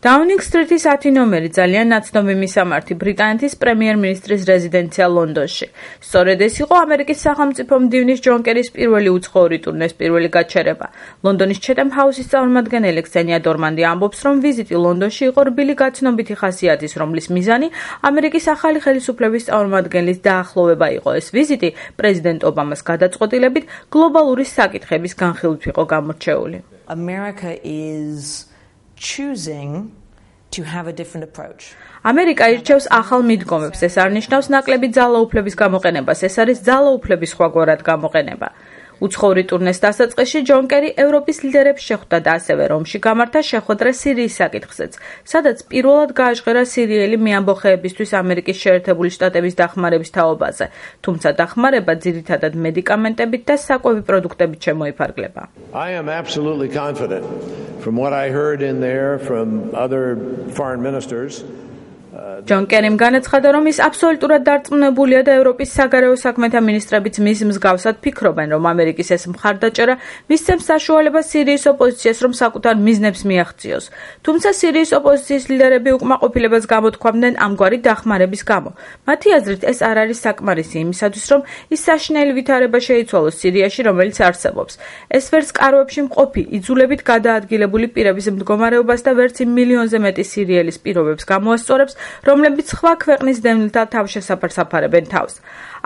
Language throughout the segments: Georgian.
დაუნინგ სტრიტის 10 ნომერი ძალიან ნაცნობი მისამართი ბრიტანეთის პრემიერ-მინისტრის რეზიდენცია ლონდონში. სწორედ ეს იყო ამერიკის სახელმწიფო მდივნის ჯონ კერის პირველი უცხოური ტურნეს პირველი გაჩერება. ლონდონის ჩეთემ ჰაუსის წარმომადგენელი ქსენია დორმანდი ამბობს, რომ ვიზიტი ლონდონში იყო რბილი გაცნობითი ხასიათის, რომლის მიზანი ამერიკის ახალი ხელისუფლების წარმომადგენლის დაახლოვება იყო. ეს ვიზიტი პრეზიდენტ ობამას გადაწყვეტილებით გლობალური საკითხების განხილვით იყო გამორჩეული. America is choosing to have a different approach. ამერიკა ირჩევს ახალ მიდგომებს, ეს არ ნიშნავს ნაკლები ძალაუფლების გამოყენებას, ეს არის ძალაუფლების სხვაგვარად გამოყენება. უცხოური ტურნეს დასაწყისში ჯონ კერი ევროპის ლიდერებს შეხვდა და ასევე რომში გამართა შეხვედრა სირიის საკითხზეც, სადაც პირველად გააჟღერა სირიელი მეამბოხეებისთვის ამერიკის შეერთებული შტატების დახმარების თაობაზე, თუმცა დახმარება ძირითადად მედიკამენტებით და საკვები პროდუქტებით შემოიფარგლება. I am absolutely confident from what I heard in there from other foreign ministers. ჯონ კერიმ განაცხადა, რომ ის აბსოლუტურად დარწმუნებულია და ევროპის საგარეო საქმეთა მინისტრებიც მის მსგავსად ფიქრობენ, რომ ამერიკის ეს მხარდაჭერა მისცემს საშუალებას სირიის ოპოზიციას, რომ საკუთარ მიზნებს მიაღწიოს. თუმცა სირიის ოპოზიციის ლიდერები უკმაყოფილებას გამოთქვამდნენ ამგვარი დახმარების გამო. მათი აზრით, ეს არ არის საკმარისი იმისათვის, რომ ის საშინელი ვითარება შეიცვალოს სირიაში, რომელიც არსებობს. ეს ვერც კარვებში მყოფი, იძულებით გადაადგილებული პირების მდგომარეობას და ვერც იმ მილიონზე მეტი სირიელის პირობებს გამოასწორებს, რომლებიც სხვა ქვეყნის დევნილთა თავშესაფარს აფარებენ თავს.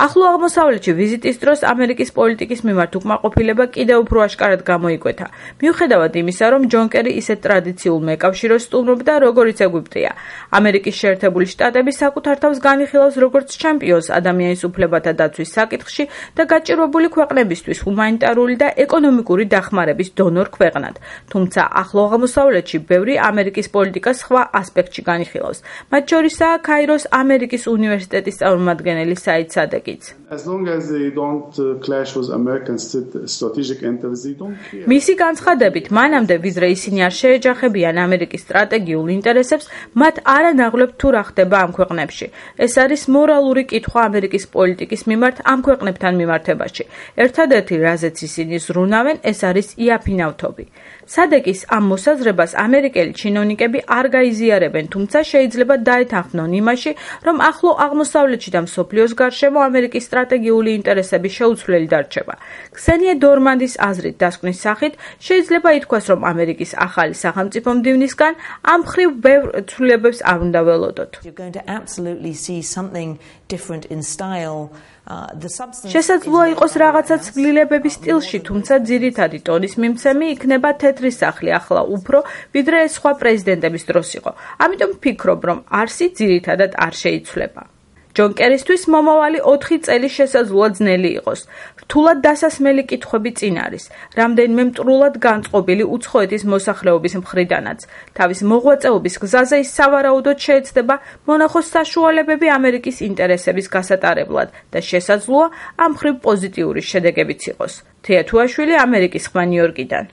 ახლო აღმოსავლეთში ვიზიტის დროს ამერიკის პოლიტიკის მიმართ უკმაყოფილება კიდევ უფრო აშკარად გამოიკვეთა. მიუხედავად იმისა, რომ ჯონ კერი ისეთ ტრადიციულ მეკავშიროს სტუმრობდა, როგორიც ეგვიპტეა. ამერიკის შეერთებული შტატები საკუთარ თავს განიხილავს როგორც ჩემპიონს ადამიანის უფლებათა დაცვის საკითხში და გაჭირვებული ქვეყნებისთვის ჰუმანიტარული და ეკონომიკური დახმარების დონორ ქვეყნად. თუმცა ახლო აღმოსავლეთში ბევრი ამერიკის პოლიტიკას სხვა ასპექტში განიხილავს. მათ შორისაა ქაიროს ამერიკის უნივერსიტეტის წარმომადგენელი საიდ სადეკი. As long as they don't clash with American strategic interests, they don't care. მისი განცხადებით, მანამდე ვიდრე ისინი არ შეეჯახებიან ამერიკის სტრატეგიულ ინტერესებს, მათ არ ანაღლებთ თუ რა ხდება ამ ქვეყნებში. ეს არის მორალური კითხვა ამერიკის პოლიტიკის მიმართ ამ ქვეყნებთან მიმართებაში. ერთადერთი, რაზეც ისინი ზრუნავენ, ეს არის იაფინავთობი. სადეკის ამ მოსაზრებას ამერიკელი ჩინოვნიკები არ გაიზიარებენ, თუმცა შეიძლება დაეთანხმნონ იმაში, რომ ახლო აღმოსავლეთში და მსოფლიოს გარშემო ამერიკის სტრატეგიული ინტერესები შეუცვლელი დარჩება. ქსენია დორმანდის აზრით დასკვნის სახით შეიძლება ითქვას, რომ ამერიკის ახალი სახელმწიფო მდივნისგან ამ მხრივ ბევრ ცვლილებებს არ უნდა ველოდოთ. შესაძლოა იყოს რაღაცა ცვლილებების სტილში, თუმცა ძირითადი ტონის მიმცემი იქნება თეთრი სახლი ახლა უფრო, ვიდრე ეს სხვა პრეზიდენტების დროს იყო. ამიტომ ვფიქრობ, რომ არსი ძირითადად არ შეიცვლება. ჯონ კერისთვის მომავალი 4 წელი შესაძლოა ძნელი იყოს. რთულად დასასმელი კითხვები წინ არის. რამდენიმე მტრულად განწყობილი უცხოეთის მოსახლეობის მხრიდანაც. თავის მოღვაწეობის გზაზე ის სავარაუდოდ შეეცდება მონახოს საშუალებები ამერიკის ინტერესების გასატარებლად და შესაძლოა ამ მხრივ პოზიტიური შედეგებიც იყოს. თეა თუაშვილი, ამერიკის ხმა ნიუ-იორკიდან.